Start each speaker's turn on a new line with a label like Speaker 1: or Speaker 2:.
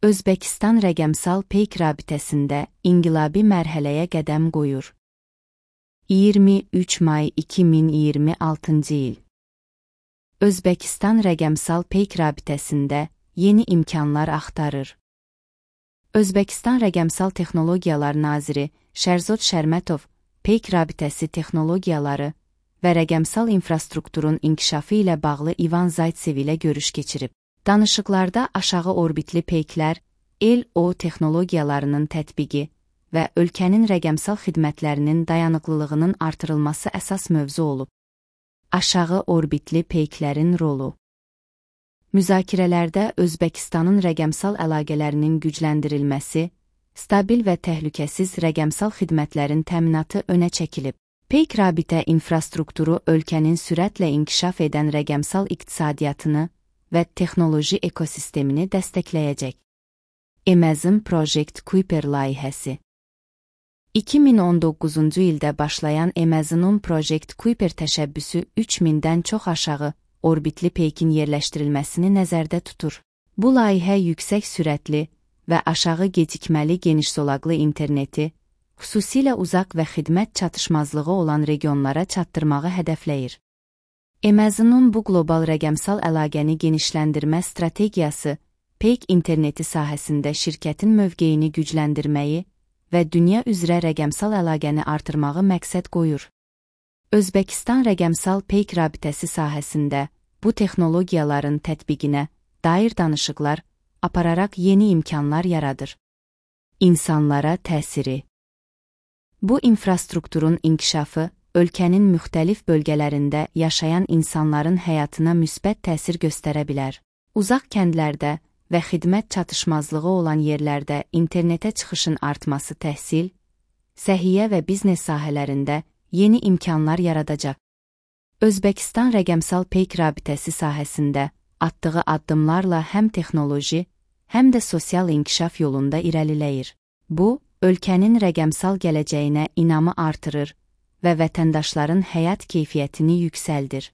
Speaker 1: Özbəkistan rəqəmsal peyk rabitəsində inqilabi mərhələyə qədəm qoyur. 23 may 2026 il. Özbəkistan rəqəmsal peyk rabitəsində yeni imkanlar axtarır. Özbəkistan Rəqəmsal Texnologiyalar Naziri Şərzod Şərmətov peyk rabitəsi texnologiyaları və rəqəmsal infrastrukturun inkişafı ilə bağlı İvan Zaytsev ilə görüş keçirib. Danışıqlarda aşağı orbitli peyklər, LO texnologiyalarının tətbiqi və ölkənin rəqəmsal xidmətlərinin dayanıqlılığının artırılması əsas mövzu olub. Aşağı orbitli peyklərin rolu. Müzakirələrdə Özbəkistanın rəqəmsal əlaqələrinin gücləndirilməsi, stabil və təhlükəsiz rəqəmsal xidmətlərin təminatı önə çəkilib. Peyk rabitə infrastrukturu ölkənin sürətlə inkişaf edən rəqəmsal iqtisadiyyatını və texnoloji ekosistemini dəstəkləyəcək. Amazon Project Kuiper layihəsi. 2019-cu ildə başlayan Amazon'un Project Kuiper təşəbbüsü 3000-dən çox aşağı orbitli peykin yerləşdirilməsini nəzərdə tutur. Bu layihə yüksək sürətli və aşağı gecikməli geniş zolaqlı interneti, xüsusilə uzaq və xidmət çatışmazlığı olan regionlara çatdırmağı hədəfləyir. Amazon'un bu qlobal rəqəmsal əlaqəni genişləndirmə strategiyası, peyk interneti sahəsində şirkətin mövqeyini gücləndirməyi və dünya üzrə rəqəmsal əlaqəni artırmağı məqsəd qoyur. Özbəkistan rəqəmsal peyk rabitəsi sahəsində bu texnologiyaların tətbiqinə dair danışıqlar apararaq yeni imkanlar yaradır. İnsanlara təsiri. Bu infrastrukturun inkişafı ölkənin müxtəlif bölgələrində yaşayan insanların həyatına müsbət təsir göstərə bilər. Uzaq kəndlərdə və xidmət çatışmazlığı olan yerlərdə internetə çıxışın artması təhsil, səhiyyə və biznes sahələrində yeni imkanlar yaradacaq. Özbəkistan rəqəmsal peyk rabitəsi sahəsində atdığı addımlarla həm texnoloji, həm də sosial inkişaf yolunda irəliləyir. Bu, ölkənin rəqəmsal gələcəyinə inamı artırır və vətəndaşların həyat keyfiyyətini yüksəldir.